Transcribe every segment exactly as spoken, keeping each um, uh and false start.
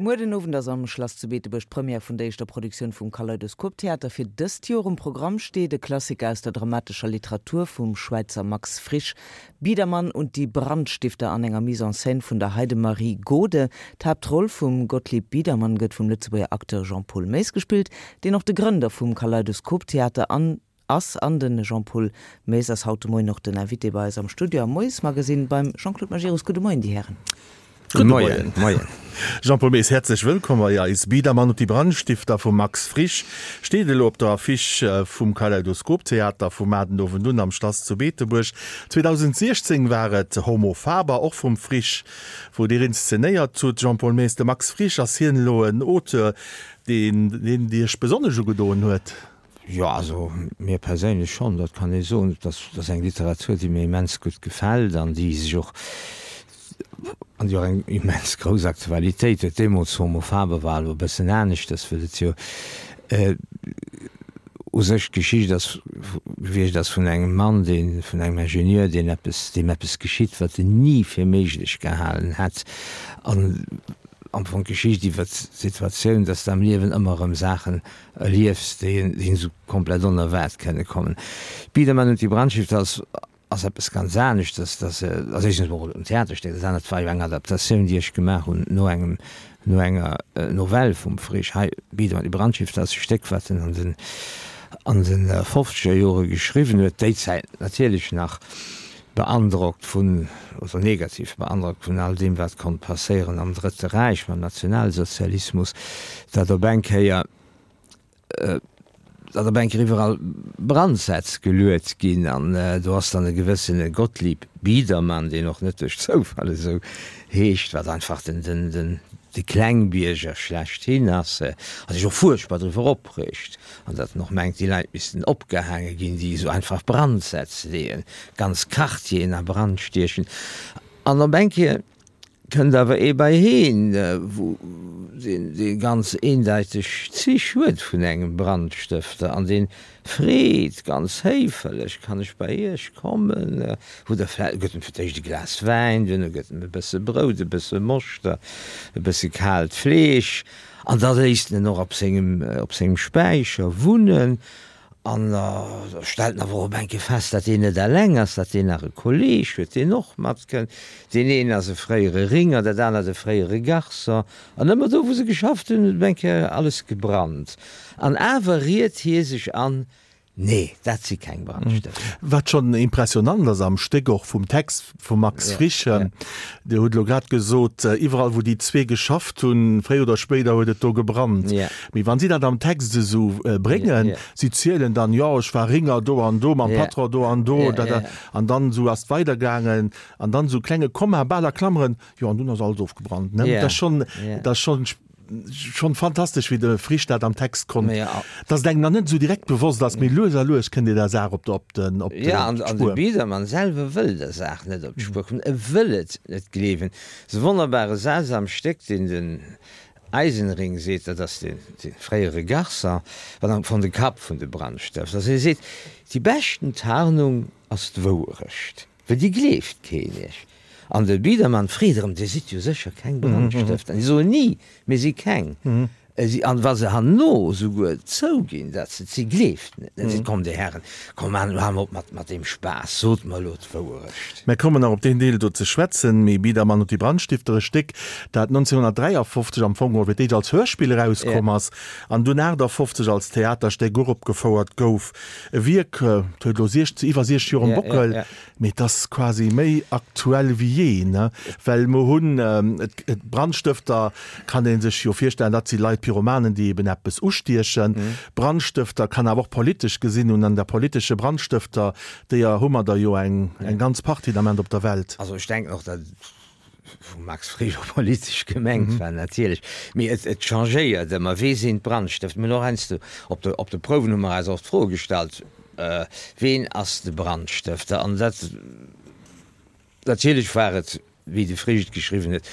Muer den Owend ass am Schlass zu Beetebuerg d'Première vun der éischter Produktioun vum Kaleidoskop Theater fir dëst Joer. Um Programm steet e Klassiker aus der dramatescher Literatur vum Schwäizer Max Frisch, Biedermann und die Brandstifter an enger Mise en scène vun der Heidemarie Gode. D'Haaptroll vum Gottlieb Biedermann gëtt vum Lëtzebuerger Acteur Jean-Paul Maes gespillt, deen och de Grënder vum Kaleidoskop Theater an ass. An de Jean-Paul Maes ass haut de Moien och den Invité bei eis am Studio am Moiesmagazine beim Jean-Claude Majerus. Gudde Moien, déi Hären. Gudde Moien. Moien. Jean-Paul Maes, häerzlech wëllkomm bei eis. Biedermann und die Brandstifter vum Max Frisch steet elo op der Affiche vum Kaleidoskop Theater vum mar den Owend un am Schlass zu Beetebuerg. zweedausendsiechzéng war et Homo Faber, och vum Frisch, wou Dir inszenéiert hutt. Jean-Paul Maes, de Max Frisch, ass hien elo en Auteur, deen deen Iech besonnesch ugedoen huet? Jo, also mir perséinlech schonn, dat kann ee soen. Dat ass eng Literatur, déi mir immens gutt gefält an déi sech och, an déi och eng immens grouss Aktualitéit huet. Deemools Homo Faber war elo e bëssen aneschters, well et jo u sech d'Geschicht ass gewiescht ass vun engem Mann, deen, vun engem Ingenieur, deen eppes, deem eppes geschitt, wat en ni fir méiglech gehalen hätt. An am Fong d'Geschicht iwwert d'Situatioun, dass de am Liewen ëmmer erëm Saachen erliefs, déi een esou komplett onerwaart kënne kommen. Biedermann und die Brandstifter ass ass eppes ganz aneschters, dat ass éischtens emol en Theaterstéck, dat anert war jo eng Adaptatioun, déi ech gemaach hunn no engem, no enger Novell vum Frisch. Hei, Biedermann und die Brandstifter ass e Stéck, wat en an den an de fofzeger Jore geschriwwen huet, déi Zäit natierlech nach beandrockt vun, oder negativ beandrockt vun all deem, wat konnt passéieren am Drëtte Räich mam Nationalsozialismus, datt op eng Kéier, datt op eng Kéier iwwerall Brandsätz geluet ginn. An do ass dann e gewëssene Gottlieb Biedermann, deen och net duerch Zoufall esou heescht, wat einfach den, den, den, de Klengbierger schlechthin ass, a sech och fuerchtbar driwwer opreegt, an datt en och mengt, déi Leit missten opgehaange ginn, déi esou einfach Brandsätz leeën, ganz Quartieren a Brand stiechen. An op eng Kéier kënnt awer ee bei heen, wou deen, dee ganz eendeiteg Zich huet vun engem Brandstëfter, an dee freet ganz héifelech, Kann ech bei Iech kommen? Hutt Der vläicht, gëtt em fir d'éischt e Glas Wäin, duerno gëtt em e bësse Brout, e bësse Moschter, e bësse kaalt Fleesch, an da léisst en en och op sengem, op sengem Späicher wunnen. An da stellt en awer och op eng Kéier fest, datt deen net eleng ass, datt deen nach e Kolleeg huet, deen och matkënnt. Deen een ass e fréiere Ringer, dat anert e fréiere Garçon. An ëmmer do, wou se geschafft hunn, huet op eng Kéier alles gebrannt. An awer riet hie sech an, Nee, dat si keng Brandstëfter. Wat schonn impressionant ass am Stéck, och vum Text vum Max Frisch, Dir hutt elo grad gesot, iwwerall wou déi zwee geschafft hunn, fréier oder spéider huet et do gebrannt. Mee wann si dat am Text esou bréngen, si zielen dann, jo ech war Ringer do an do, mam Patron do an do, dat, dat, an dann esou ass et weidergaangen, an dann esou klenge Komma, bal a Klammeren, jo an dunn ass alles ofgebrannt. Dat ass schonn, dat ass schonn schonn fantastesch, wéi de Frisch dat am Text konnt, dass et engem nach net esou direkt bewosst ass, mee lues a lues kënnt dir der Saach op op den op d'Spuer. Ja, an de Biedermann selwer wëll der Saach net op d'Spuer kommen, e wëll et net gleewen. Esou wonnerbare Saz am Stéck, deen den Eisenring seet, dat ass dee fréiere Garçon, wat am Fong de Kapp vun de Brandstëfter ass, hie seet, Déi beschten Tarnung ass d'Wouerecht, well déi gleeft keen iech. An de Biedermann freet erëm, Dir sidd jo sécher keng Brandstëfter? An déi soen, Ni, mir si keng. An wa se herno souguer zouginn, datt se et si, gleeft en et net. Seet, Komm, Dir Hären, komm, elo hale mer op mat, mat deem Spaass, sot mer elo d'Wouerecht. Mir kommen nach op deen Deel do ze schwätzen. Mee Biedermann und die Brandstifter, e Stéck, dat nonzénhunnertdräiafofzeg am Fong geholl fir d'éischt als Hörspill erauskomm ass an dunn aachtafofzeg als Theaterstéck uropgefouert gouf. E Wierk, dat huet elo siechzeg, iwwer siechzeg Joer um Bockel. Mee et ass quasi méi aktuell wéi jee, ne? Well mer hunn, et, Brandstëfter kann ee sech jo virstellen, dat si Leit, Pyromanen, déi eben eppes ustiechen. Brandstëfter kann awer och politesch gesinn hunn, an der politesche Brandstëfter, deeër hu mer der jo eng, eng ganz Partie den Ament op der Welt. Also ech denken och, datt vum Max Frisch och politesch gemengt war natierlech, mee et, et changéiert ëmmer, Wee sinn d'Brandstëfter? Mir hunn och heiansdo op de, op de Prouwen hu mer eis oft d'Fro gestallt, Ween ass de Brandstëfter? An dat, natierlech war et wéi de Frisch et geschriwwen huet,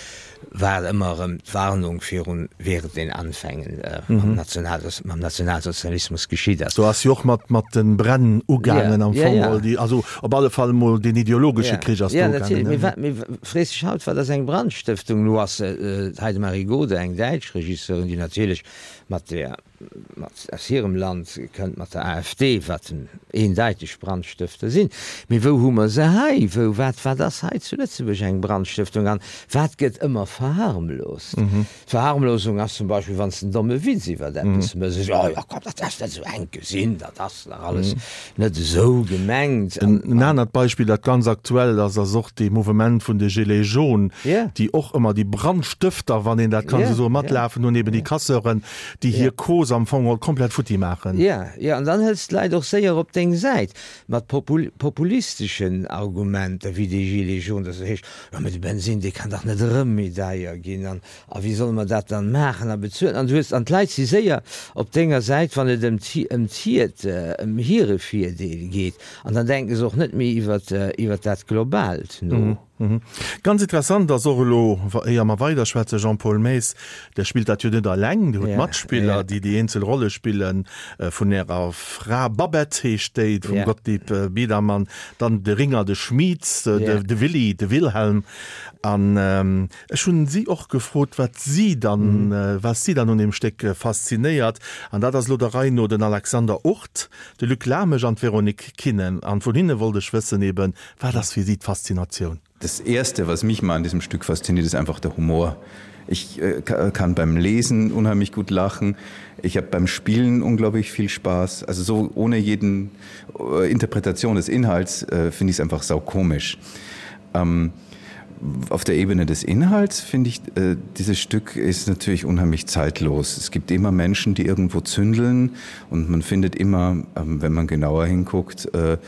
war et ëmmer erëm d'Warnung virun während den Anfängen mam mam Nationalsozialismus geschitt ass. Do ass jo och mat mat de Bränn ugaangen am Fong geholl, déi, also op alle Fall emol deen ideologesche Krich ass do ugaangen. Jo, natierlech. Mee wat, mee frees dech haut, wat ass eng Brandstëftung? Elo ass d'Heidemarie Gode, eng däitsch Regisseurin, déi natierlech mat der, mat aus hirem Land kënnt, mat der AfD, wat eendeiteg Brandstëfter sinn. Mee wou hu mer se hei? Wou, wat, wat ass hei zu Lëtzebuerg eng Brandstëftung? An wat gëtt ëmmer verharmlost? D'Verharmlosung ass zum Beispill, wann s de en domme Witz iwwert eppes méchs, esou, oh jo, komm, dat ass net esou enk gesinn, dat ass nach alles net esou gemengt. En anert Beispill, dat ganz aktuell ass, ass och dee Mouvement vun de Gilets jaunes, déi och ëmmer déi Brandstëfter, wann een dat kann esou soen, matlafen hunn, eben déi Casseuren, déi hir Cause am Fong geholl komplett futti maachen. Jo, jo, an dann hëls d'Leit och séier op deng Säit mat populisteschen Argumenter wéi déi Gilets jaunes, dass et heescht, jo mä de Bensinn, dee kann dach net erëm méi deier ginn an a wéi solle mer dat dann maachen a bezuelen? An du hues, an d'Leit si séier op denger Säit, wann et ëm ëm hiert, ëm hire Virdeel geet an dann denke se och net méi iwwert iwwert dat Globaalt no. Ganz interessant ass och elo, éier mer weiderschwätzen, Jean-Paul Maes, Der spillt dat jo net eleng, Dir hutt Matspiller, déi déi eenzel Rolle spillen, vun Ärer Fra Babette heescht déi, vum Gottlieb Biedermann, dann de Ringer, de Schmid, de Willy, de Wilhelm. An ech hunn si och gefrot, wat si dann, wat si dann un deem Stéck faszinéiert. An dat ass elo der Rei no den Alexander Urth, de Luc Lamesch an d'Véronique Kinnen. An vun hinne wollt ech wëssen eben, wat ass fir si d'Faszinatioun? Das erste, was mich mal an diesem Stück fasziniert, ist einfach der Humor. Ich äh, kann beim Lesen unheimlich gut lachen. Ich habe beim Spielen unglaublich viel Spaß. Also so ohne jeden äh, Interpretation des Inhalts äh, finde ich es einfach saukomisch. Ähm, auf der Ebene des Inhalts finde ich äh, dieses Stück ist natürlich unheimlich zeitlos. Es gibt immer Menschen, die irgendwo zündeln und man findet immer, ähm, wenn man genauer hinguckt, äh,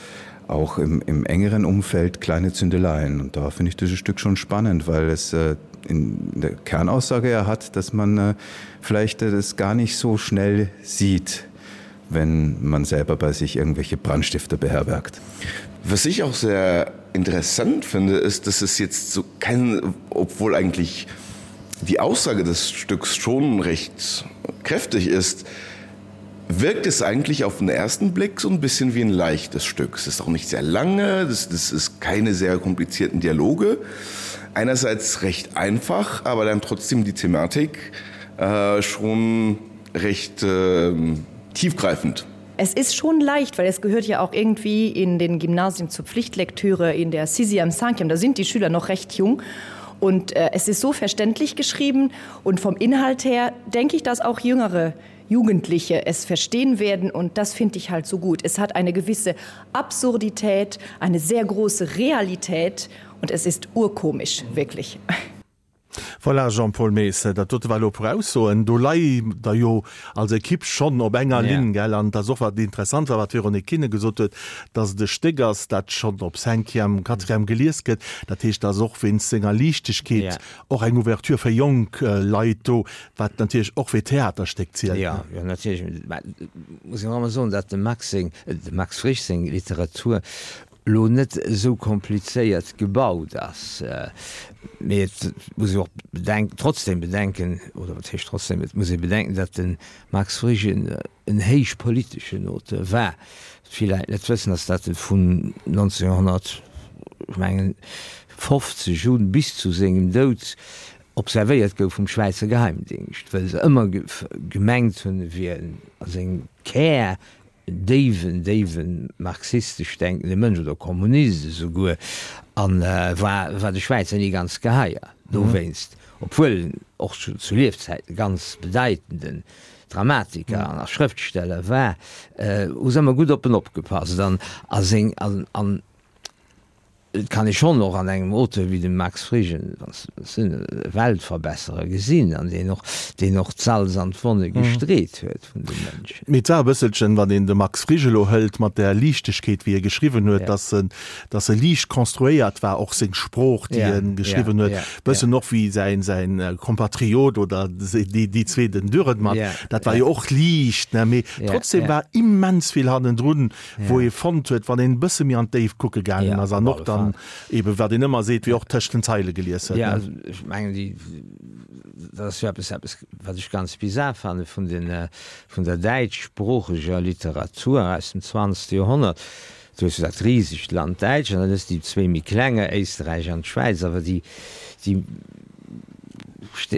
auch im, im engeren Umfeld kleine Zündeleien. Und da finde ich dieses Stück schon spannend, weil es äh, in der Kernaussage er hat, dass man äh, vielleicht äh, das gar nicht so schnell sieht, wenn man selber bei sich irgendwelche Brandstifter beherbergt. Was ich auch sehr interessant finde, ist, dass es jetzt so kein, obwohl eigentlich die Aussage des Stücks schon recht kräftig ist, wirkt es eigentlich auf den ersten Blick so ein bisschen wie ein leichtes Stück. Es ist auch nicht sehr lange, das, das ist keine sehr komplizierten Dialoge. Einerseits recht einfach, aber dann trotzdem die Thematik äh, schon recht äh, tiefgreifend. Es ist schon leicht, weil es gehört ja auch irgendwie in den Gymnasien zur Pflichtlektüre in der Sisi am Sankium. Da sind die Schüler noch recht jung. Und äh, es ist so verständlich geschrieben und vom Inhalt her denke ich, dass auch jüngere Jugendliche es verstehen werden und das finde ich halt so gut. Es hat eine gewisse Absurdität, eine sehr große Realität und es ist urkomisch wirklich. Voilà, Jean-Paul Maes, dat dote war elo e puer Aussoen. Do lei Der jo als Ekipp schonn op enger Linn, gell? An et ass och, wat interessant war, wat d'Véronique Kinne gesot huet, dass et e Stéck ass, dat schonn op Cinquième, Quatrième gelies gëtt. Dat heescht, et ass och wéinst senger Liichtegkeet och eng Ouverture fir jonk Leit do, wat natierlech och fir Theaterstéck zielt. Jo, jo, natierlech. Mä et muss een och ëmmer soen, datt dem Max seng, dem Max Frisch seng Literatur elo net esou komplizéiert gebaut ass. Mee et muss ee och bedenken, trotzdem bedenken, oder wat heescht trotzdem, et muss ee bedenken, datt de Max Frisch en héich politeschen Auteur war. Wat vill Leit net wëssen, ass, datt e vun neunzehnhundert, ech mengen, fofzeg un bis zu sengem Doud observéiert gouf vum Schwäizer Geheimdingscht, wëll se ëmmer gemengt hunn, e wier a sengem Kär en déiwen, déiwen marxistesch denkende Mënsch oder Kommunist esouguer, a war, war de Schwäizer ni ganz geheier dowéinst, obwuel en och zu, zu Liefzäiten e ganz bedeitenden Dramatiker an a Schrëftsteller war, hu se ëmmer gutt op en opgepasst an a seng, an, an Et kann ee schonn och an engem Auteur wéi dem Max Frisch e Weltverbesserer gesinn, an deen och, deen och d'Salz an d'Wonne gestreet huet vun de Mënschen. Mee et war e bësselchen, wann een de Max Frisch elo hëlt, mat där Liichtegkeet, wéi e geschriwwen huet, dass en, dass e liicht konstruéiert war, och seng Sprooch, déi e geschriwwen huet, bëssen och wéi säin, säin Kompatriot oder déi, déi zwee, den Dürrenmatt, dat war jo och liicht, ne? Mee trotzdem war immens vill hannendrun, wou ee fonnt huet, wann een e bësse méi an d'Déift kucke gaangen ass an och dann dann eben, wat een ëmmer seet, wéi och tëscht den Zeile gelies huet. Jo, also ech mengen, déi, dat ass jo eppes, eppes, wat ech ganz bizar fanne vun den, vun der däitschsproocheger Literatur aus dem zwanzegste Joerhonnert. Du hues jo dat risegt Land Däitschland, an dann hues de déi zwéi méi klenger, Éisterräich an d'Schwäiz, awer déi, déi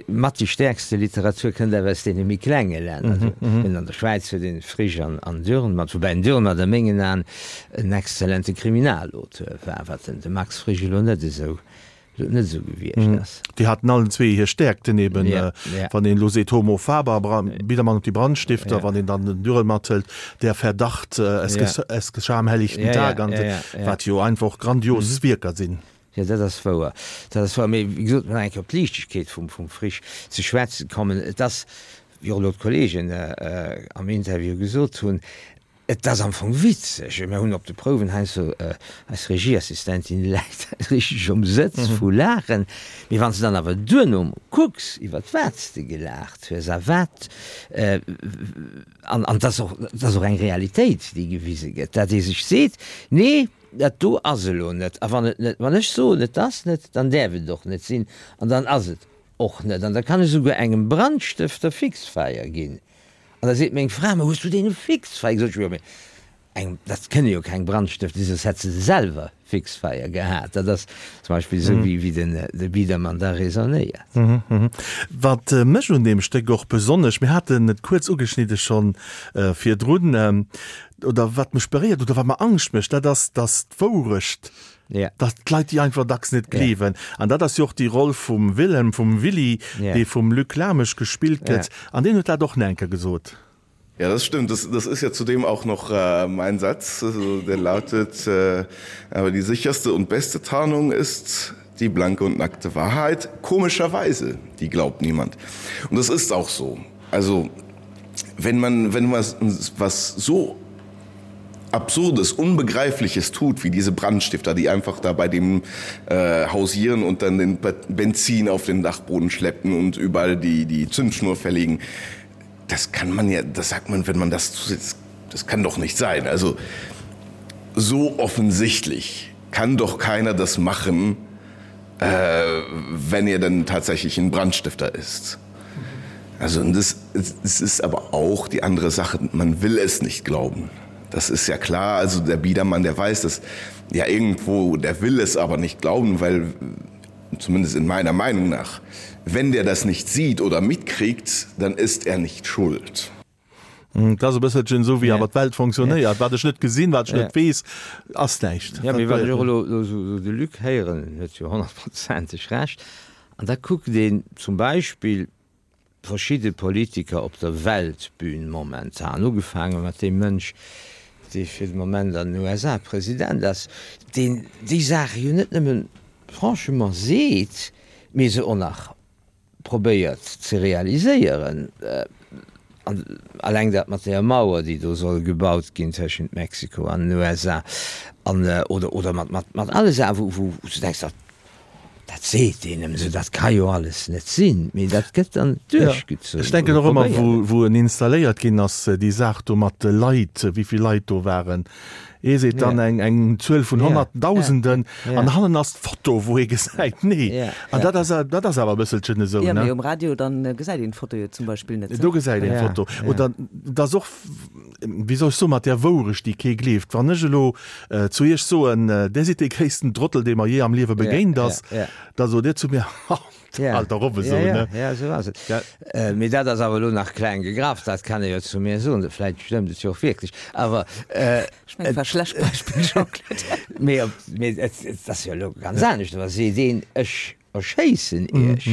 mat déi stäerkste Literatur kënnt awer aus deene méi klenge Länner. An der Schwäiz huet een Frisch an an Dürrenmatt, woubäi den Dürrenmatt a mengen Aen en exzellente Kriminalauteur war, wat den de Max Frisch elo net esou net esou gewiescht ass. Déi haten allen zwee hir Stäerkten eben, wann een elo seet Homo faber, Biedermann und die Brandstifter, wann een dann den Dürrenmatt hëlt, Der Verdacht, Es geschah am helllichten Tag, an wat jo einfach och grandios Wierker sinn. Jo, dat ass wouer, dat ass wouer. Mee wéi gesot, nach eng Kéier op d'Liichtegkeet vum, vum Frisch ze schwätzen kommen, et ass, wéi och elo d'Kollegen am Interview gesot hunn, et ass am Fong witzeg. Mir hunn op de Prouwen heiansdo, eis Regieassistentin läit richteg um Sëtz vu Laachen. Mee wann s de dann awer duerno kucks, iwwert wat s de gelaacht hues a wat, an, an et ass och, et ass och eng Realitéit, déi gewise gëtt, dat ee sech seet, Nee, Dat do ass elo net. A wann et net, wann ech soen, et ass net, dann däerf et och net sinn an dann ass et och net. An da kann ech esouguer engem Brandstëfter Fixfeier ginn. An da seet meng Fra, Ma hues du deene Fixfeier gesot? Ech, Jo, mee engem, dat kënne jo keng Brandstëfter sinn, soss hätt se se selwer Fixfeier gehat. Dat ass zum Beispill esou, wéi, wéi den, de Biedermann da raisonnéiert. Wat mech un deem Stéck och besonnesch, mir haten et kuerz ugeschnidde schonn virdrun, oder wat mech beréiert oder wat mer Angscht mécht, dat ass, dass d'Wourecht, dass d'Leit déi einfach dacks net gleewen. An dat ass jo och déi Roll vum Wilhelm, vum Willy, dee vum Luc Lamesch gespillt gëtt. An deen huet dat och nach eng Kéier gesot. Ja, das stimmt. Das, das ist ja zudem auch noch äh, mein Satz, also, der lautet, äh, aber die sicherste und beste Tarnung ist die blanke und nackte Wahrheit. Komischerweise, die glaubt niemand. Und das ist auch so. Also wenn man wenn was, was so absurdes unbegreifliches tut wie diese brandstifter die einfach da bei dem äh, hausieren und dann den benzin auf den dachboden schleppen und überall die die zündschnur verlegen das kann man ja das sagt man wenn man das zusetzt das kann doch nicht sein also so offensichtlich kann doch keiner das machen äh, wenn er dann tatsächlich ein brandstifter ist also und das, das ist aber auch die andere sache man will es nicht glauben das ist ja klar also der biedermann der weiß das ja irgendwo der will es aber nicht glauben weil zumindest in meiner meinung nach wenn der das nicht sieht oder mitkriegt dann ist er nicht schuld Dat ass e bësselchen esou wéi awer d'Welt fonctionnéiert. Wat ech net gesinn, wat ech net weess, ass näischt. Jo, mee wann ech och elo esou de Luc héieren, en huet jo honnertprozenteg Recht, an da kuckt een zum Beispill verschidde Politiker op der Weltbün momentan, ugefaange mat deem Mënsch, dee fir de Moment an den U S A President ass, deen déi Saache jo net nëmme franchement seet, mee se och nach probéiert ze realiséieren. An alleng dat mat där Mauer, déi do soll gebaut ginn tëschent Mexiko an den U S A, an, oder, oder mat, mat, mat alle Saachen, wou, wou s du denks, dat, dat seet deen nëmmen esou, dat ka jo alles net sinn, mee dat gëtt dann duerchgezunn. Ech denken och ëmmer, wou, wou en installéiert ginn ass, déi Saach do mat de Leit, wéi vill Leit do waren. Ee seet dann eng, eng Zuel vun Honnertdausenden an hannen ass d'Foto, wou ee gesäit, nee. An dat ass, dat ass awer e bësselchen esou, ne? Jo, mee um Radio, dann gesäit een d'Foto jo zum Beispill net. Do gesäit een d'Foto. Oder et ass och, wéi soll ech soen, mat där Wourecht, déi kee gleeft. Wann ech elo zu Iech soen, Dir sidd dee gréissten Trottel, dee mer jee am Liewe begéint ass, da sot Dir zu mir, Ha! Halt dach op esou, ne? Ja, esou ass et. Mee dat ass awer elo nach kleng gegraff, dat kann ee jo zu mir soen. Vläicht stëmmt et jo och wierklech, awer. Ech mengen, et war e schlecht Beispill, Jean-Claude. Mee op, mee et, et ass jo elo ganz anescht, wa seet een, ech erschéissen Iech,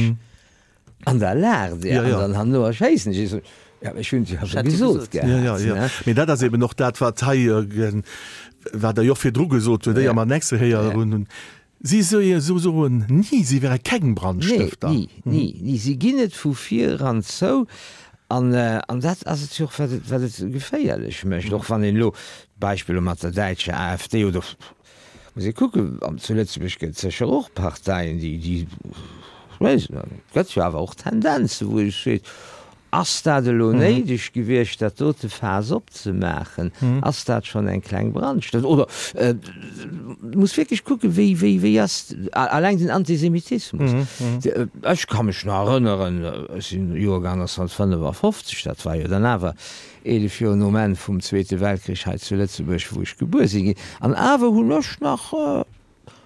an da laacht Dir, an dann herno erschéissen ech Iech. Ja, ech hunn et jo awer gesot gehat, ne? Ja, ja, ja. Mee dat ass eben och dat, wat hei, wat Der jo och virdru gesot hutt, éier mer den nächste Héier hunn. Si soen ni, si wäre keng Brandstëfter. Nee, ni, ni, ni. Si ginn et vu vir eran zou. An, an dat ass et jo och, wat et, wat et geféierlech mécht. Och wann een elo d'Beispill elo mat der däitscher AfD oder, muss ee kucken, an zu Lëtzebuerg gëtt et sécher och Parteien, déi, déi, ech weess net, et gëtt jo awer och Tendenzen, wou ee seet, Ass dat elo néideg gewiescht, dat dote Faass opzemaachen? Ass dat schonn eng kleng Brandstëftung? Oder et muss wierklech kucken, wéi, wéi, wéi ass alleng den Antisemitismus. Ech ka mech nach erënneren, ech sinn Joergang neunzehnhundertfünfundfünfzig, dat war jo dann awer eelef Joer nom Enn vum Zweete Weltkrich hei zu Lëtzebuerg, wou ech gebuer si ginn, an awer hunn ech nach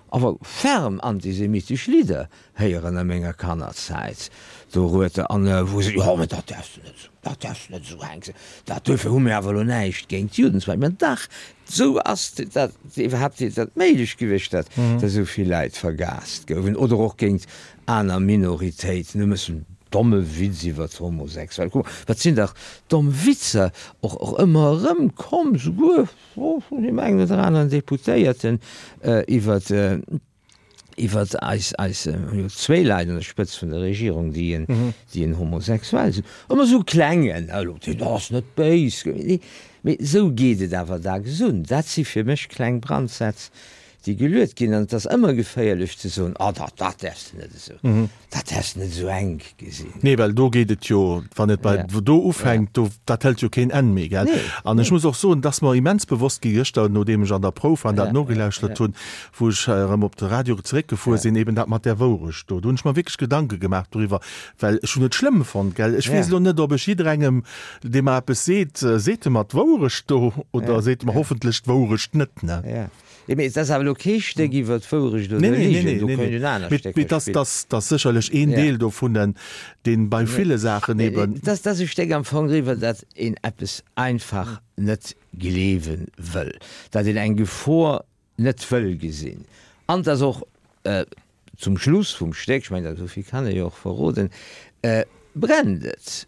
awer ferm antisemitesch Lidder héieren a menger Kannerzäit dorueter, an wou se, jo, mä dat däerfs de net esou, dat däerfs de net esou hänken, dat, duerfir hu mir awer elo näischt géint d'Juden zum Beispill. Mä dach, esou ass dat iwwerhaapt dat méiglech gewiescht, datt esou vill Leit vergaast gouwen, oder och géint aner Minoritéiten. Du méchs en domme Witz iwwer d'Homosexuell. Kuck mol, wat sinn dach domm Witzer och, och ëmmer erëm komm, souguer vun deem engen oder aneren Deputéierten iwwer, iwwer eis, eis, mir hu jo zwéi Leit un der Spëtzt vun der Regierung, déi en, déi en homosexuell sinn. Ëmmer esou klengen, elo, deen ass net béis gemengt, mee esou geet et awer dacks un. Dat si fir mech kleng Brandsätz, déi geluet ginn, an et ass ëmmer geféierlech ze soen, oh dat, dat däerfs de net esou, dat däerfs de net esou enk gesinn. Nee, well do geet et jo, wann et bei do ufänkt, do, dat hëlt jo keen Enn méi, gell? An ech muss och soen, et ass mer immens bewosst gi gëschter, nodeem ech an der Prouf war an dat nogelauschtert hunn, wou ech erëm op de Radio zeréckgefuer sinn, eben dat mat där Wourecht do. Do hunn ech mer wierklech Gedanke gemaach doriwwer, well ech hunn et schlëmm fonnt, gell? Ech weess elo net, ob ech jidderengem, dee mer eppes seet, seet e mer d'Wourecht do oder seet e mer hoffentlech d'Wourecht net, ne? Jo, mee et ass awer elo kee Stéck iwwer d'Wourecht oder Nee, nee, Ligen, nee, do nee, kéint nee. een aner Mee, Stécker mee dass, spillen. dass, dass sécherlech een Ja. Deel dovunnen, deen bei ville Saachen eben. Et ass, et ass e Stéck am Fong driwwer, datt een eppes einfach net gleewe wëll, datt een eng Gefor net wëll gesinn. An et ass och zum Schluss vum Stéck, ech mengen, esou vill kann ee jo och verroden, brennt et.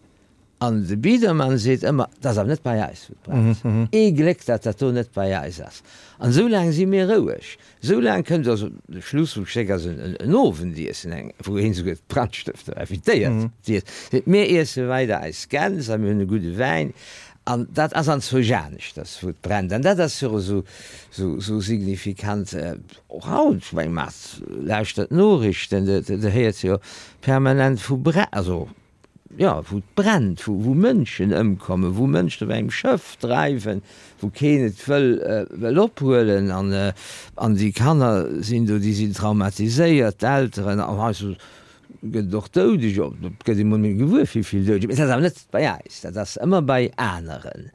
An de Biedermann seet ëmmer, 't ass awer net bei eis, wou et brennt. Ee Gléck, datt dat do net bei eis ass. An esou laang si mir roueg. Esou laang kënnt also, de Schluss vum Stéck ass en Owendiessen, eng, wou een esouguer d'Brandstëfter invitéiert. Seet, mir iesse weider eis Gäns a mir hunn e gudde Wäin. An dat ass anzwousch aneschters, wou et brennt. An dat ass jo esou, esou signifikant. Och haut, ech meng, mat lauschtert d'Noriichten, do héiert jo permanent vu Brä, also, jo, wou et brennt, wou, wou Mënschen ëmkommen, wou Mënschen op engem Schëff dreiwen, wou keen et wëll, wëll ophuelen an, an déi Kanner sinn do, déi sinn traumatiséiert, d'Elteren, an heiansdo gëtt et och Doudeger, et gëtt ee mol méi gewuer, wéi vill Doudeger, mee dat ass awer net bei eis, dat ass ëmmer bei aneren.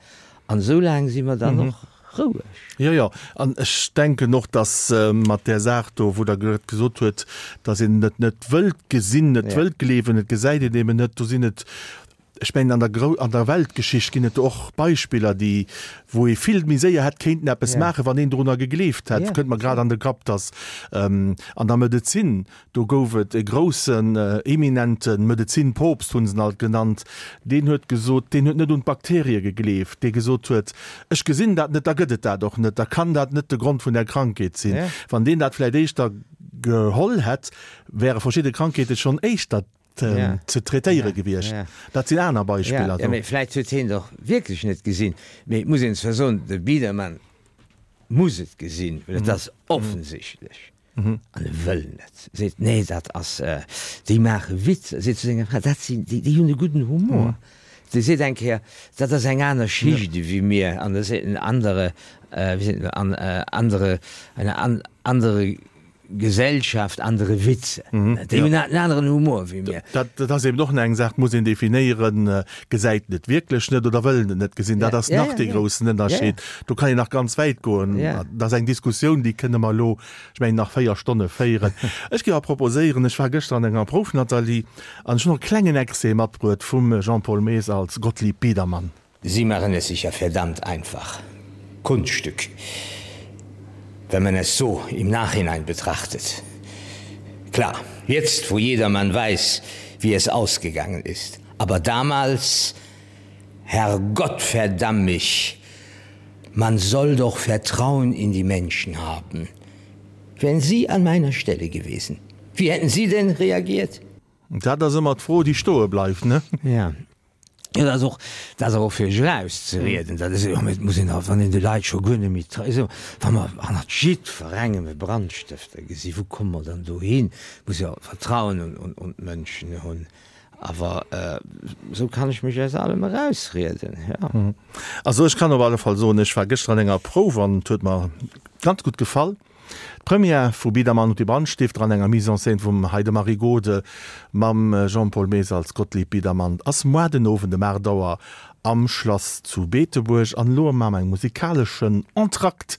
An esou laang si mer dann och roueg. Jo, jo. An ech denken och, dass mat där Saach do, wou Der grad gesot huet, dass een et net wëllt gesinn, net wëllt gleewen, et gesäit een eben net, do sinn et, ech mengen, an der Grou-, an der Weltgeschicht ginn et do och Beispiller, déi, wou ee vill méi séier hätt kéinten eppes maachen, wann een dorunner gegleeft hätt. Kënnt mer grad an de Kapp, dass an der Medezin, Do gouf et e groussen, eminente Medezinpoopst, hunn se en alt genannt, deen huet gesot, deen huet net un d'Bakterie gegleeft, dee gesot huet, Ech gesinn dat net, da gëtt et dat och net, da kann dat net de Grond vun der Krankheet sinn. Wann deen dat vläicht éischter geholl hätt, wäre verschidde Krankheete schonn éischter ze traitéiere gewiescht. Dat sinn aner Beispiller. Jo, mee vläicht huet hien et och wierklech net gesinn. Mee et muss een zwar soen, de Biedermann muss et gesinn, well et ass offensichtlech. An e wëll net. Seet, nee, dat ass, déi maache Witzer. Seet zu senger Fra, dat sinn, déi, déi hunn e gudden Humor. Dee seet eng Kéier, dat ass eng aner Schicht ewéi mir. An da seet en andere, wéi seet en, an, andere, eine an, andere Gesellschaft, andere Witze. Déi hunn en aneren Humor ewéi mir. Dat, dat ass eben och nach eng Saach, muss een definéieren, gesäit en et wierklech net oder wëll en et net gesinn. Dat ass nach dee groussen Ënnerscheed. Do kann een nach ganz wäit goen. Dat ass eng Diskussioun, déi kënne mer elo, ech mengen, nach véier Stonne féieren. Ech géif awer proposéieren, ech war gëschter an enger Prouf, Nathalie, an ech hunn och e klengen Extrait matbruet vum Jean-Paul Maes als Gottlieb Biedermann. Sie machen es sich ja verdammt einfach. Kunststück. Wenn man es so im Nachhinein betrachtet. Klar, jetzt, wo jedermann weiß, wie es ausgegangen ist. Aber damals, Herr Gott verdamm mich, man soll doch Vertrauen in die Menschen haben. Wären Sie an meiner Stelle gewesen, wie hätten Sie denn reagiert? Dat ass ëmmer d'Fro, déi stoe bleift, ne? Ja. Jo, dat ass och, dat ass och fir sech erauszerieden. Dat ass jo, et muss een och, wann een de Leit scho guer net méi trei, esou, wa mer hannert jiddwerengem e Brandstëfter gesi, wou komme mer dann dohin? Muss jo Vertrauen un, un, un d'Mënschen hunn. Awer esou kann ech mech aus allem erausrieden, jo. Also ech kann op alle Fall soen, ech war gëschter an enger Prouf an et huet mer ganz gutt gefall. D'Première vu Biedermann und die Brandstifter an enger Mise en scène vum Heidemarie Gode mam Jean-Paul Maes als Gottlieb Biedermann ass moar den Owend ëm aacht Auer am Schlass zu Beetebuerg. An elo maache mer eng musikaleschen Entracte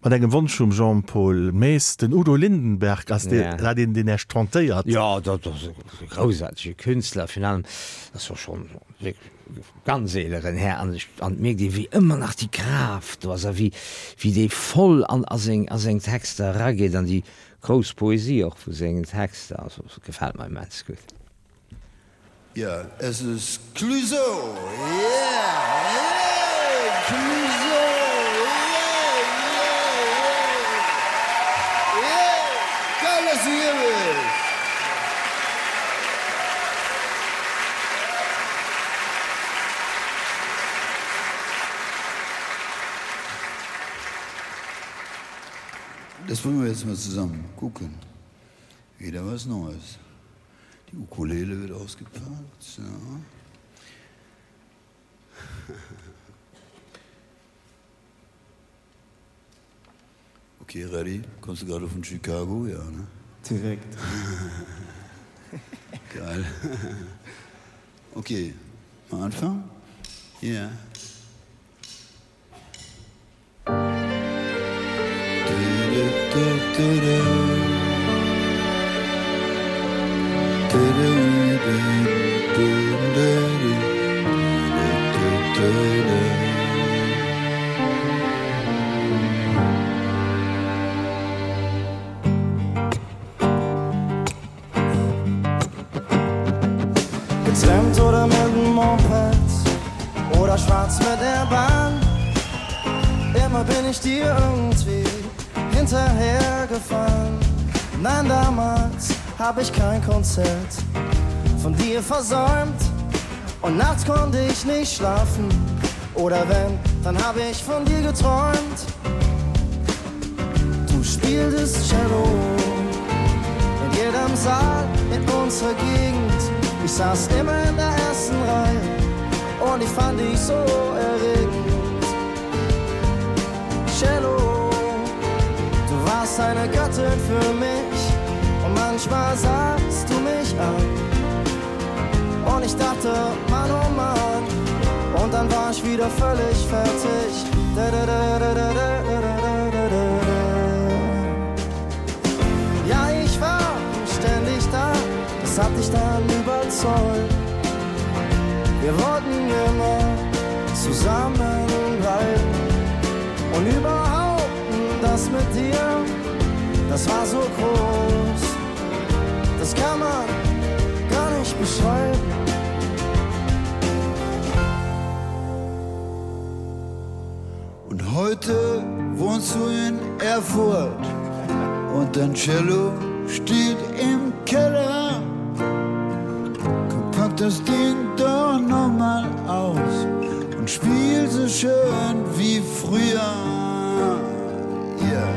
mat engem Wonsch vum Jean-Paul Maes. Den Udo Lindenberg, ass dat een, deen Iech tentéiert? Jo, dat ass e groussaartege Künstler, virun allem ass och schonn wierklech e ganz eeleren Här an ech, an et mierkt ee wéi ëmmer nach déi Kraaft do ass a wéi, wéi dee voll an a seng, a seng Texter erageet an déi grouss Poesie och vu sengen Texter. Also gefält mer immens gutt. Ja, es ist Clouseau, yeah, yeah, Clouseau, yeah, yeah, yeah, yeah, geil, dass du hier bist! Das wollen wir jetzt mal zusammen gucken. Wieder was Neues. Die Ukulele wird ausgepackt. So. Okay, ready? Kommst du gerade von Chicago? Ja, ne? Direkt. Geil. Okay, mal anfangen? Ja. Yeah. Getrennt oder mit dem Moped oder schwarz mit der Bahn. Immer bin ich dir irgendwie hinterhergefahren. Nein, damals hab ich kein Konzert von dir versäumt. Und nachts konnte ich nicht schlafen. Oder wenn, dann hab ich von dir geträumt. Du spieltest Cello in jedem Saal in unserer Gegend. Ich saß immer in der ersten Reihe und ich fand dich so erregend. Cello, du warst eine Göttin für mich und manchmal sahst du mich an. Und ich dachte, Mann, oh Mann, und dann war ich wieder völlig fertig. Ja, ich war ständig da, das hat dich dann überzeugt. Wir wollten immer zusammenbleiben und überhaupt das mit dir, das war so groß, das kann man gar nicht beschreiben. Und heute wohnst du in Erfurt und dein Cello steht im Keller. Komm, pack das Ding doch noch mal aus und spiel so schön wie früher. Yeah.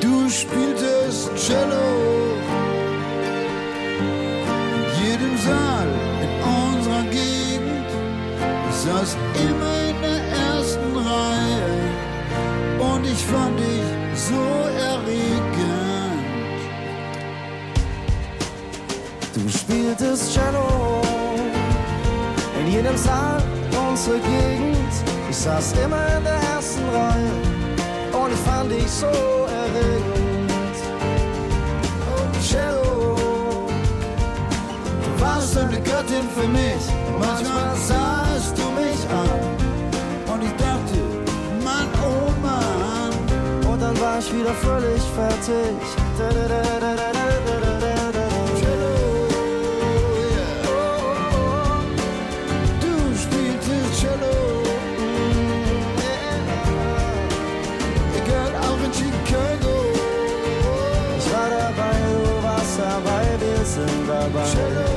Du spieltest Cello in jedem Saal in unserer Gegend. Ich saß immer in der ersten Reihe und ich fand dich so erregend. Du spieltest Cello in jedem Saal unserer Gegend. Ich saß immer in der ersten Reihe und ich fand dich so erregend. Oh, Cello, du warst eine Göttin für mich. Und manchmal sahst du mich an und ich dachte, Mann, oh Mann. Und dann war ich wieder völlig fertig. Cello, yeah. Du spieltest Cello. Egal, auch in Chicago. Ich war dabei, du warst dabei, wir sind dabei. Cello,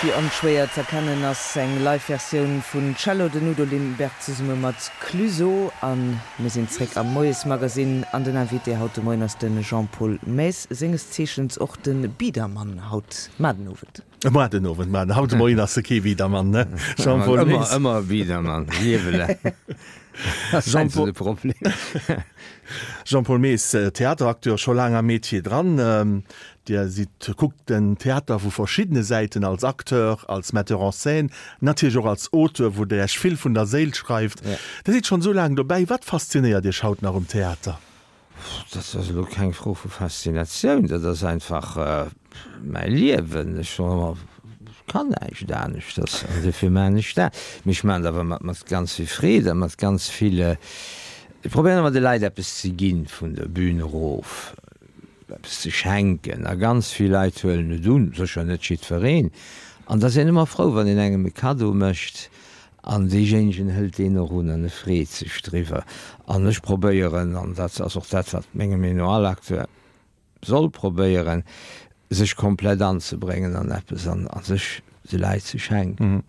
Wéi onschwéier z'erkennen ass eng Live-Versioun vun Cello den Udo Lindenberg zesumme mat Clueso. A mir sinn zréck am Moiesmagazine an den Invité haut de Moien ass de Jean-Paul Maes, senges Zeechens och de Biedermann haut mar den Owend. Mar den Owend, mar haut de Moien ass e kee Biedermann, ne Jean-Paul Maes? Ëmmer, ëmmer Biedermann, Liewe laang. Jean-Paul Jean-Paul Maes, Theateracteur, scho laang am Metier dran. Dir sidd, kuckt den Theater vu verschiddene Säiten, als Acteur, als Metteur en scène, natierlech och als Auteur, wou Der Iech vill vun der Séil schreift. Dir sidd schonn esou laang dobäi. Wat faszinéiert Iech haut nach um Theater? Dat ass elo keng Fro vu Faszinatioun, dat ass einfach mäi Liewen. Ech soen ëmmer, ech kann näischt aneschters an dofir maachen ech dat. Mee ech maachen et awer mat, mat ganz vill Freed a mat ganz vill, ech probéieren ëmmer de Leit eppes ze ginn vun der Bühn erof. eppes ze schenken a ganz vill Leit huelen et un, sécher net jiddwereen, an da ass een ëmmer frou, wann een engem e Kaddo mécht an deejéinegen hëlt deen och un an e freet sech driwwer. An ech probéieren, an dat ass och dat, wat menger Meenung no all Acteur soll probéieren, sech komplett anzebréngen an eppes an sech de Leit ze schenken.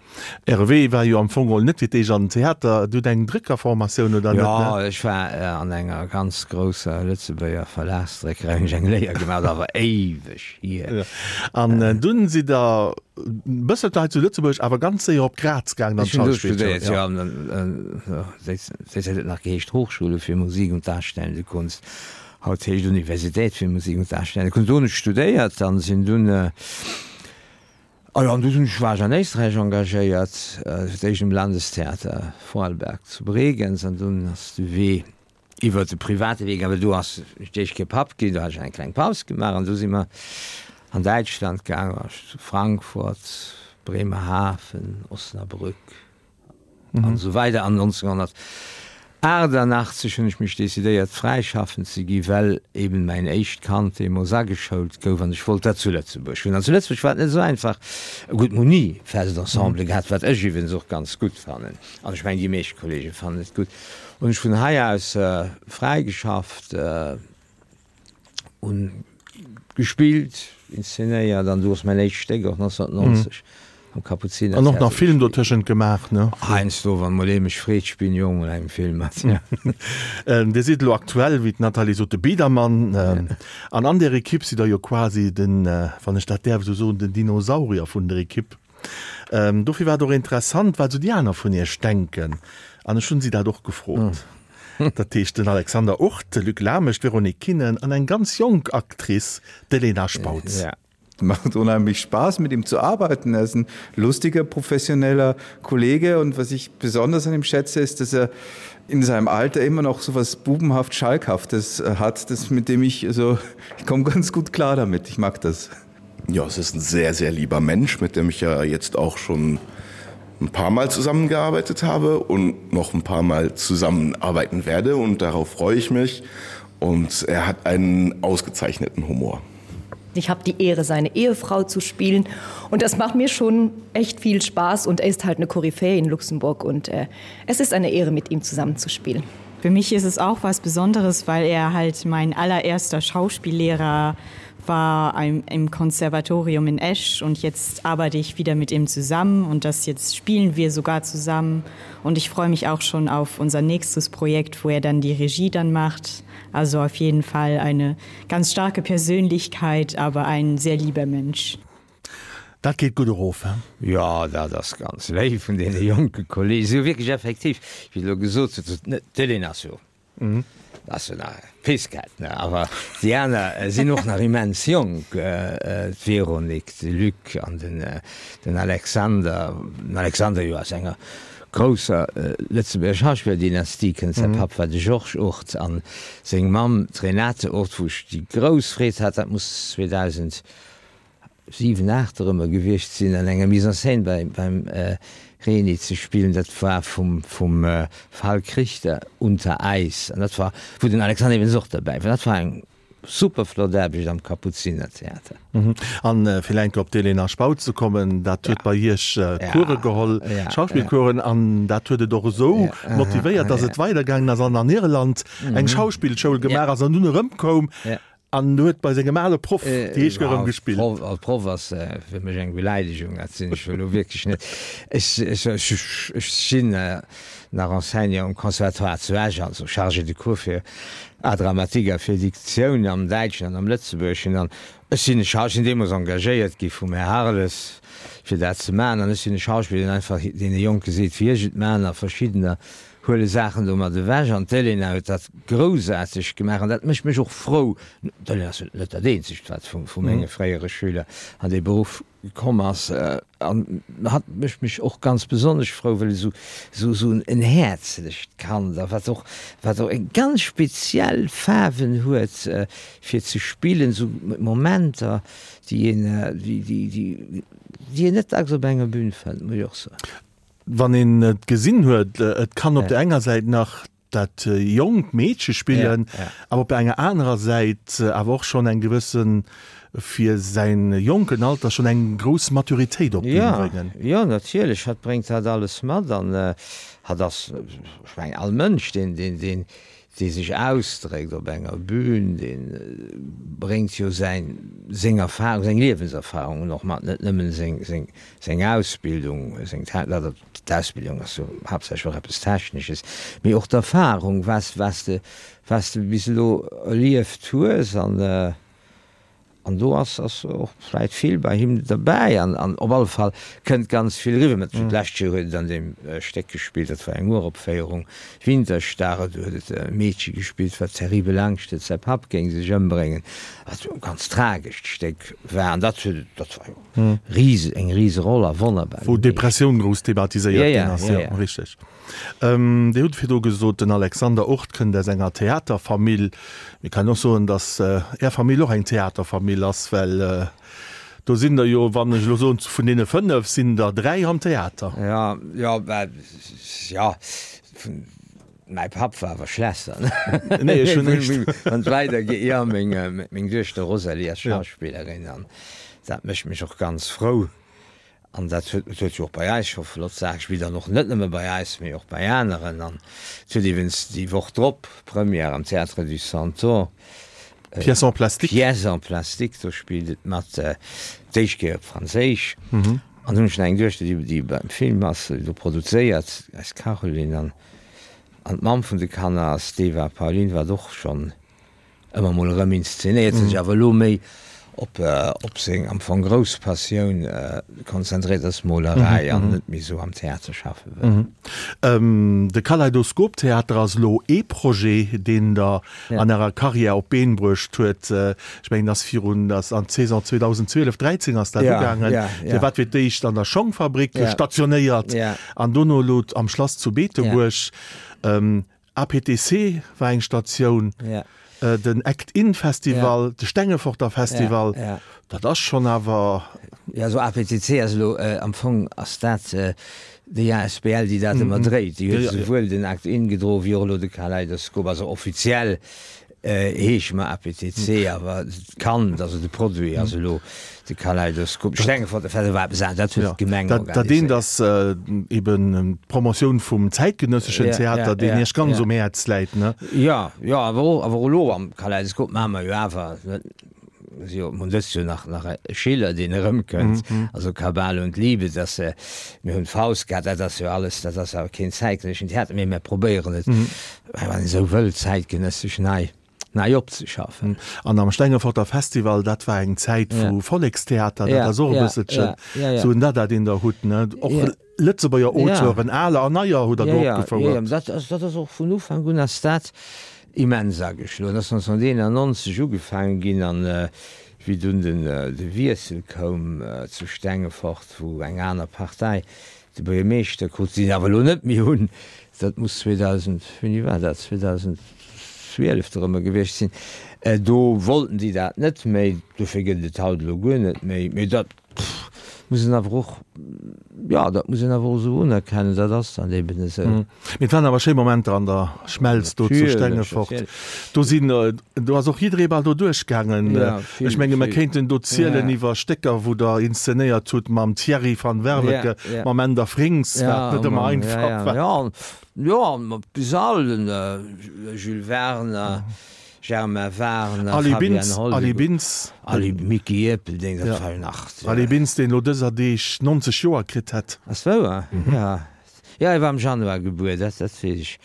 Äre Wee war jo am Fong geholl net fir d'éischt an den Theater. Dir hutt eng Dréckerformatioun, oder net? Jo, ech war an enger ganz grousser Lëtzebuerger Verlagsdréckerei, hunn ech eng Léier gemaach, awer éiweg hier. An dunn sidd Der e bësselche hei zu Lëtzebuerg, awer ganz séier op Graz gaangen an Ech hunn do d'Schauspillschoul. studéiert, jo. Déi Zäit huet et nach geheescht Hochschule für Musik und darstellende Kunst, haut heescht Universität für Musik und darstellende Kunst. Do hunn ech studéiert an sinn dunn. Ah jo, an du hunn ech, war ech an Éisträich engagéiert, fir d'éischt um Landestheater Vorarlberg zu Bregenz an dunn ass de Wee iwwert de private Wee gaangen, well do ass d'éischt kee Papp ginn, do hat ech eng kleng Paus gemaach an du si mer an Däitschland gaangen, war ech zu Frankfurt, Bremerhaven, Osnabrück. An esou weider. An nonzénghonnertaachtanaachtzeg hunn ech mech decidéiert, fräischaffend ze gi well eben mäin éischt Kand deemools ageschoult gouf an ech wollt dat zu Lëtzebuerg hunn. An zu Lëtzebuerg war et net esou einfach. Gutt, mir hunn ni fest Ensembele gehat, wat ech iwwregens och ganz gutt fannen, an ech mengen, déi meescht Kollege fannen et gutt, hunn ech vun hei aus fräigeschafft. Hunn gespillt, inszenéiert an du ass mäin éischt Stéck och nonzénhonnertneunzeg am Kapuzinertheater. An och nach Film dotëschent gemaach, ne? Heiansdo, wann mol ee mech freet, spillen ech och mol engem Film mat, jo. Dir sidd elo aktuell, wéi d'Nathalie sot, de Biedermann. An an där Ekipp sidd Der jo quasi den, wann ech dat däerf esou soen, den Dinosaurier vun der Ekipp. Dofir war et och interessant, wat esou déi aner vun Iech denken. An ech hunn si dat och gefrot. Dat heescht den Alexander Urth, de Luc Lamesch, d'Véronique Kinnen an eng ganz jonk Actrice, d'Elena Spautz. Macht unheimlich Spaß, mit ihm zu arbeiten. Er ist ein lustiger, professioneller Kollege und was ich besonders an ihm schätze, ist, dass er in seinem Alter immer noch so was bubenhaft Schalkhaftes äh, hat, das mit dem ich also ich komme ganz gut klar damit. Ich mag das. Ja, es ist ein sehr, sehr lieber Mensch, mit dem ich ja jetzt auch schon ein paar Mal zusammengearbeitet habe und noch ein paar Mal zusammenarbeiten werde und darauf freue ich mich und er hat einen ausgezeichneten Humor. Ich habe die Ehre, seine Ehefrau zu spielen und das macht mir schon echt viel Spaß und er ist halt eine Koryphäe in Luxemburg und äh, es ist eine Ehre, mit ihm zusammenzuspielen. Für mich ist es auch was Besonderes, weil er halt mein allererster Schauspiellehrer war ein, im Konservatorium in Esch und jetzt arbeite ich wieder mit ihm zusammen und das jetzt spielen wir sogar zusammen und ich freue mich auch schon auf unser nächstes Projekt, wo er dann die Regie dann macht. Also auf jeden Fall eine ganz starke Persönlichkeit, aber ein sehr lieber Mensch. Dat geet gutt erof, he? Jo, dat ass ganz léif vun deene jonke Kollegen. Si hu wierklech effektiv, wéi elo gesot huet, d'Elena ass jo ass jo nach e Piskett, ne, awer déi aner sinn och nach immens jonk, d'Véronique, de Luc an den den Alexander. Den Alexander jo aus enger grousser Lëtzebuerger Schauspillerdynastie kënnt, säi Papp war de Georges Ourth an seng Mamm d'Renate Ourth, wou ech déi grouss Freed hat, dat muss zweedausend siwen, aacht erëmmer gewiescht sinn, an enger Mise en scène bei, beim Reni ze spillen. Dat war vum, vum Falk Richter, Unter Eis. An dat war, wou den Alexander Evens och derbäi war. Dat war eng super flott Aarbecht am Kapuzinertheater. An fir eng Kéier op d'Elena Spautz ze kommen, dat huet bei Iech Course geholl, Schauspillcoursen, an dat huet et och esou motivéiert, datt et weidergaangen ass an an Irland eng Schauspillschoul gemaach ass an dunn erëmkoum. An huet bei sengem ale Proff déi éischt Kéier erëm gespillt. Proff, als Proff ass fir mech eng Beleidegung, dat sinn ech elo wierklech net. Ech, ech, ech sinn nach Enseignant um Conservatoire zu Esch, also Chargé de cours fir Art dramatique a fir Diktioun am Däitschen an am Lëtzebuergeschen. An ech sinn e Schau, ech sinn deemools engagéiert gi vum Här Harles, fir dat ze maachen. An ech sinn e Schauspiller, deen einfach deene Jonke seet, wéi ech et maachen, a verschiddener huele Saachen domat ewech an d'Elena huet dat groussaarteg gemaach an dat mécht mech och frou. D'Elena ass net dat eenzegt, wat vu menge fréiere Schüler an dee Beruff komm ass an hatt mécht mech och ganz besonnesch frou, well esou esou en häerzlecht Kand a wat och wat och eng ganz speziell Faarwen huet fir ze spillen, esou Momenter, déi een déi déi déi een net dacks op enger Bün fënnt, muss ech och soen. Wann een et gesinn huet, et kann op der enger Säit nach dat jonkt Meedche spillen, awer op der enger anerer Säit awer och schonn eng gewëssen, fir säin jonken Alter, schonn eng grouss Maturitéit op d'Bün bréngen. Jo, jo, natierlech, hatt bréngt dat alles mat an hatt ass, ech mengen, all Mënsch, deen, deen, deen, dee sech ausdréckt op enger Bühn, dee bréngt jo säin, seng Erfahrung, seng Liewenserfahrungen och mat, net nëmmen seng, seng, seng Ausbildung, seng, d'Ausbildung ass jo haaptsächlech och eppes Technesches, mee och d'Erfahrung, was, was de, was de bis elo erlieft hues an. An do ass ass och vläit vill bei him derbäi an an op alle Fall kënnt ganz vill eriwwer. Mä d'lescht Joer huet et an deem Stéck gespillt, dat war eng Uropféierung, Winterstarre, do huet et e Meedche gespillt, wat terribel Angscht huet, säi Papp géing sech ëmbréngen, wat jo e ganz tragescht Stéck war. An dat huet et, dat war jo rise eng Riseroll a wonnerbar Wou gemeeschtert. d'Depressioun grouss thematiséiert ginn ass, jo, richteg. Dir hutt virdru gesot, den Alexander Urth kënnt aus enger Theaterfamill. Mir kennen och soen, datt Är Famill och eng Theaterfamill ass, well do sinn der jo, wann ech elo soen, vun deene fënnef sinn der dräi am Theater. Jo, jo, mä jo, vun, mäi Papp war awer Schlässer, ne? Nee, ech hunn näischt. Wann et weidergeet, jo, meng, meng Duechter Rosalie ass Schauspillerin an dat mécht mech och ganz frou. An dat huet huet jo och bei eis scho flott Saache gespillt, an och net nëmme bei eis, mee och bei aneren. An et huet iwwens déi Woch drop Première am Théâtre du Centaure. Pièce en plastique. Pièce en plastique, do spillt et mat, d'éischt Kéier op Franséisch. An hunn ech nach eng Duechter, déi déi beim Film ass, déi do produzéiert, eis Caroline. An an d'Mamm vun de Kanner ass d'Eva Paulin, wat och schonn ëmmer mol erëm inszenéiert, sech awer elo méi op op seng am Fong grouss Passioun konzentréiert, ass d'Molerei, an net méi esou am Theater schaffe wëll. De Kaleidoskop-Theater ass elo ee Projet, deen Der an Ärer Karriär op d'Been bruecht huet. Ech mengen, ass virun, ass an d'Saison zweedausendzwielef dräizéng ass dat ugaangen. Dir waart fir d'éischt an der Schongfabrik stationéiert an dono elo am Schlass zu Beetebuerg. A P T C war eng Statioun, den Act-In Festival, de Stengeforter Festival, dat ass schonn awer. Jo, also A P T C ass elo, am Fong ass dat déi A S B L, déi dat ëmmer dréit. Déi huet esouwuel den Act-In gedroen, wéi och elo de Kaleidoskop. Also offiziell heesche mer A P T C, awer d'Kand, also de Produit ass elo de Kaleidoskop. Stengeforter Festival war eppes anescht, dat huet d'Gemeng organiséiert. Dat eent ass eben d'Promotioun vum zäitgenësseschen Theater, deen Iech ganz um Häerz läit, ne? Jo, jo, awer och, awer och elo am Kaleidoskop maache mer jo awer, jo, mir hunn dëst Joer nach, nach e Schiller, deen erëmkënnt, also Kabale und Liebe, dass, mir hunn Faust gehat, dat ass jo alles, dat ass awer keen zäitgenësseschen Theater, mee mir probéieren et, wann een esou wëll, zäitgenëssesch nei, nei opzeschaffen. An am Stengeforter Festival, dat war eng Zäit vu Vollekstheater, dat ass och e bësselchen esou en Dada, deen Der hutt, ne? Och Lëtzebuerger Auteuren, aler an neier, hutt Der do opgefouert. Jo, dat ass, dat ass och vun Ufank un ass dat immens ageschloen. Dat ass nonzénhunderteenannonzeg ugefaange ginn an wéi dunn den de Wiessel koum zu Stengefort, wou eng aner Partei de Buergermeeschter krut, déi se awer elo net méi hunn, dat muss zweedausend, wéini war dat, zweedausendzwielef dorëmmer gewiescht sinn, do wollten déi dat net méi, dofir gëtt et et haut elo guer net méi. Mee dat muss een awer och, jo, dat muss een awer och esou unerkennen, dat ass dann eben esou. Mee et waren awer schéi Momenter an der Schmelz do zu Stengefort. Do sinn, do ass och jidderee bal do duerchgaangen. Ech menge mer kéinten do zielen iwwer Stécker, wou Der inszenéiert hutt mam Thierry van Werveke, mam Änder Frings, wat net ëmmer einfach war. Jo, jo, an mat bis all, den Jules Werner, Germain Warner, Ali Fabian Bintz, Ali Holleguer, Bintz. Ali Micky Erpelding, dat Ja. war jo nach. Ali Bintz, deen elo dëser Deeg neunzeg Joer kritt hätt. Ass wouer? Ja. Ja, e war am Januar gebuer, dat, dat weess ech.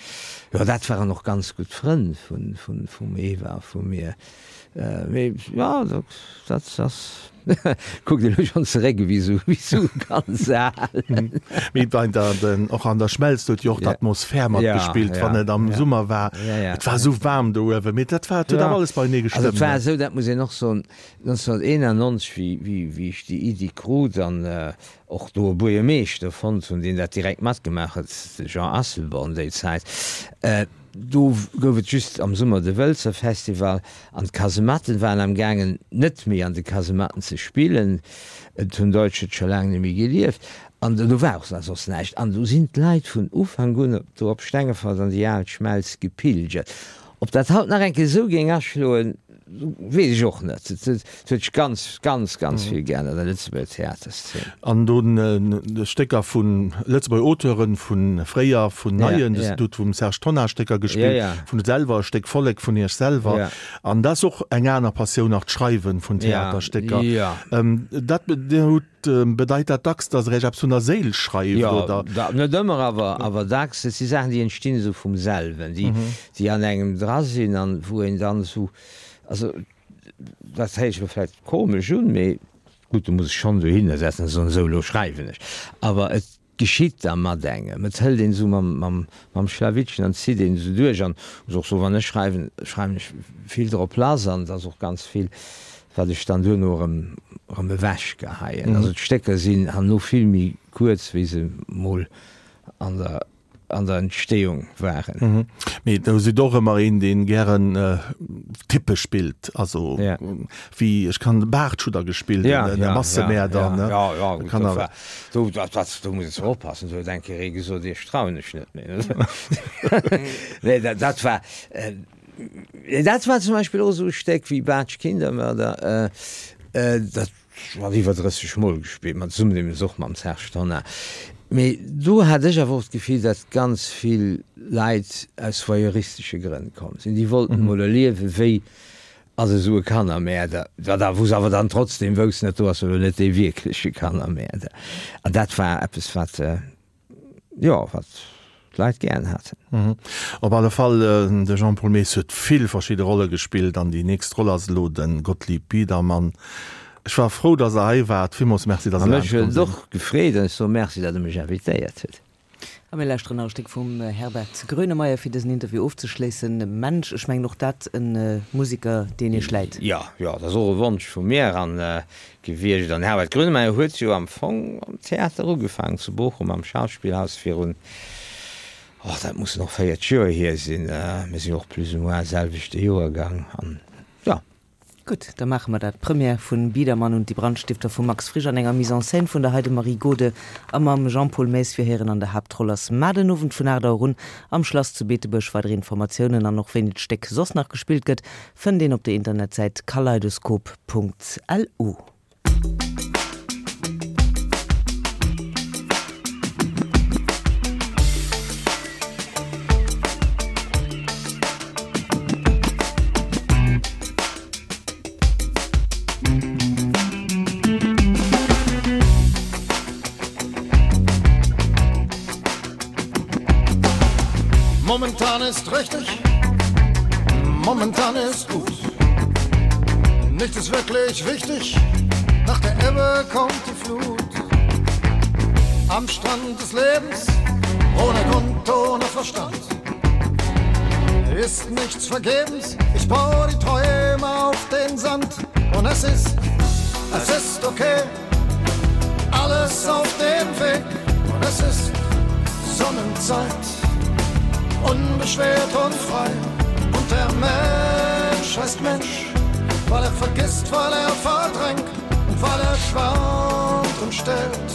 Jo, dat waren och ganz gutt Frënn vun, vun, vum Eva a vu mir. Mee jo, dat, dat ass, kuckt elo schonn zeréck ewéi esou, wéi esou ganz al. Mee bei der, den, och an der Schmelz huet jo och Ja. d'Atmosphär Ja, matgespillt, ja, wann et am ja. Summer war. Ja, ja, Et war ja. esou waarm do uewen, mee dat war, et huet Ja. awer alles beienee Also et gestëmmt, war ne? esou, dat muss een och soen, neunzehnhunderteinundneunzeg, wéi, wéi, wéi ech déi Iddi krut an och do e Buergermeeschter fonnt hunn, deen dat direkt matgemaach huet, de Jean Asselborn déi Zäit, do gouf et just am Summer de Wëlzer Festival an d'Kasematten waren am gaangen net méi an de Kasematten ze spillen, et hunn Deutsche scho laang net méi gelieft an do war och soss näischt an do sinn d'Leit vun Ufank un do op Stengefort an déi al Schmelz gepilgert. Ob dat haut nach eng Kéier esou géing aschloen, weess ech och net. Et huet sech ganz, ganz, ganz vill geännert an der Lëtzebuerger Theaterszene. An dunn Stécker vu Lëtzebuerger Auteuren, vu fréier, vun neien. Ja, ja. Dir hutt vum Serge Tonnar Stécker gespillt, Ja, ja. vun selwer e Stéck Vollek vun Iech selwer. Ja. An dat ass och eng aner Passioun nach, d'Schreiwen vun Theaterstécker. Ja, ja. Dat, Dir hutt, bedeit dat dacks, datt Der Iech eppes vun der Séil schreift, Ja, oder? da, net ëmmer, awer, awer dacks. Et si Saachen, déi entstinn esou vum selwen, déi, déi an engem dra sinn an wou een dann esou, also dat héiert sech elo vläicht komesch un, mee gutt, do muss ech schonn dohinner setzen a soen, esou, elo schreiwen ech. Awer et geschitt da mat engem, et hëlt een esou mam, mam, mam Schlawittchen an zitt een esou duerch. An muss och soen, wann ech schreiwen, schreiwen ech vill drop lass an et ass och ganz vill, wat ech dann duerno erëm, erëm ewechgeheien. Also d'Stécker sinn herno vill méi kuerz, wéi se mol an der an der Entstehung waren. Mhm. Mee do sidd och ëmmer een, deen gären Typpe spillt, also Ja. wéi, ech kann Baart hutt Der gespillt, Ja, den ja, Massemäerder, ja, ne? ja, ja, gut, Kann do awer- war, do, dat, dat, do muss een oppassen, do huet eng Kéier ee gesot, Iech trauen ech net méi. Nee, dat, dat war, äh, dat war zum Beispill och esou e Stéck wéi Baatsch Kindermörder, äh, äh, dat war iwwer drësseg Mol gespillt, mat zesummen deemools och mam Serge Tonnar. Mee do hat ech awer och d'Gefill, datt ganz vill Leit aus voyeuristesche Grënn komm sinn. Déi wollten mol erliewen, wéi ass esou e Kannermäerder, wat da, wou se awer dann trotzdem woussten, dat do ass elo net dee wierkleche Kannermäerder. An dat war eppes, wat, jo, wat d'Leit gären haten. Op alle Fall, de Jean-Paul Maes huet vill verschidde Rolle gespillt an déi nächst Roll ass elo de Gottlieb Biedermann. Ech war frou, dass Der hei waart. Villmools Merci, dass A Der mech laanscht huet komm et sidd. och gefreet an ech soe Merci, datt Der mech invitéiert hutt. A mir lauschteren nach e Stéck vum Herbert Grönemeyer, fir dësen Interview ofzeschléissen. Mensch, ech mengen och dat e Musiker, deen Iech läit. Jo, jo, dat ass och e Wonsch vu mir an gewiescht. An Herbert Grönemeyer huet jo am Fong am Theater ugefaangen, zu Bochum am Schauspielhaus virun, oh, dat mussen och véierzeg Joer hier sinn. Mir sinn jo och plus ou moins selwechte Joergang an, jo. Gutt, da maache mer dat. D'Première vun Biedermann und die Brandstifter vum Max Frisch an enger Mise en scène vun der Heidemarie Gode a mam Jean-Paul Maes fir héieren an der Haaptroll ass mar den Owend vun aacht Auer un am Schlass zu Beetebuerg. Weider Informatiounen an och wéini d'Stéck soss nach gespillt gëtt, fënnt een op der Internetsäit kaleidoskop.lu. Momentan ist richtig, momentan ist gut. Nichts ist wirklich wichtig, nach der Ebbe kommt die Flut. Am Strand des Lebens, ohne Grund, ohne Verstand. Ist nichts vergebens, ich baue die Träume auf den Sand. Und es ist, es ist okay, alles auf dem Weg. Und es ist Sonnenzeit, unbeschwert und frei. Und der Mensch heißt Mensch, weil er vergisst, weil er verdrängt und weil er schwärmt und stellt,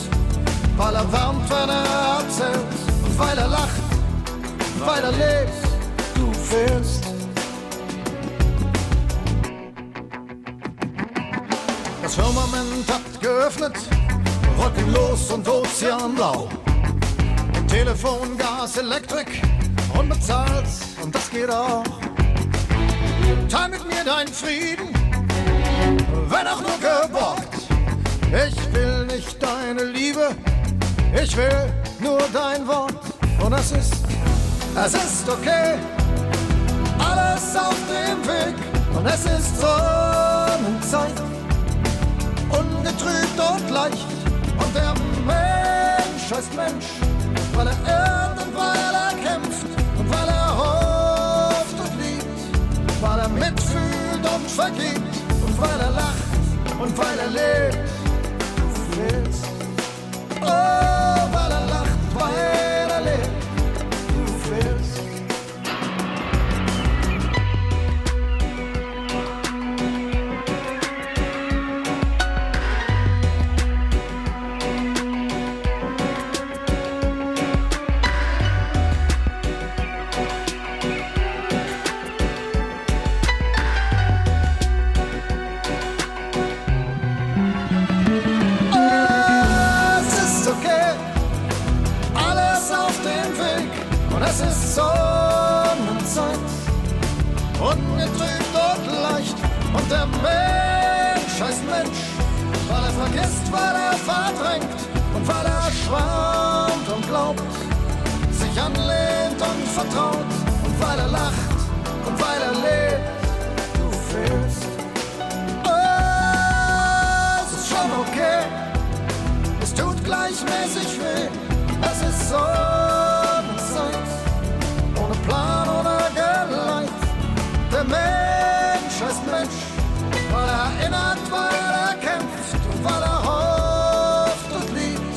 weil er wärmt, wenn er erzählt und weil er lacht, weil er lebt, du fehlst. Das Firmament hat geöffnet, wolkenlos und ozeanblau. Telefon, Gas, Elektrik, unbezahlt und das geht auch. Teil mit mir deinen Frieden, wenn auch nur geborgt. Ich will nicht deine Liebe, ich will nur dein Wort. Und es ist, es ist okay, alles auf dem Weg. Und es ist Sonnenzeit, ungetrübt und leicht. Und der Mensch heißt Mensch, weil er irrt und weil er kämpft und weil er hofft und liebt, weil er mitfühlt und vergibt und weil er lacht und weil er lebt. Du fehlst. Oh, weil er lacht, weil er lebt. Du fehlst. Es ist okay, alles auf dem Weg und es ist Sonnenzeit, ungetrübt und leicht und der Mensch heißt Mensch, weil er vergisst, weil er verdrängt und weil er schwärmt und glaubt, sich anlehnt und vertraut und weil er lacht und weil er lebt, du fehlst. Es ist schon okay. Es tut gleichmäßig weh, es ist Sonnenzeit, ohne Plan oder Geleit. Der Mensch heißt Mensch, weil er erinnert, weil er kämpft und weil er hofft und liebt,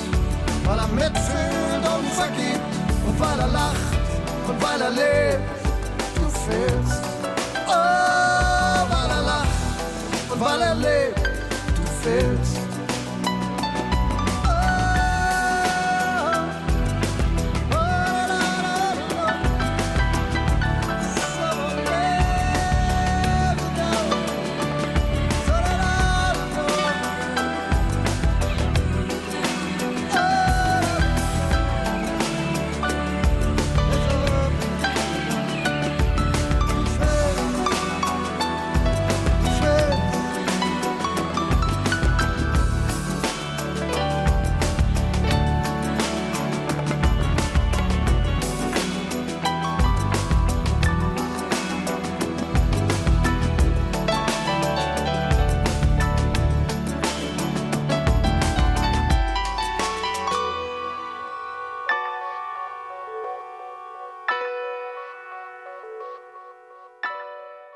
weil er mitfühlt und vergibt und weil er lacht und weil er lebt. Du fehlst, oh, weil er lacht und weil er lebt. Du fehlst.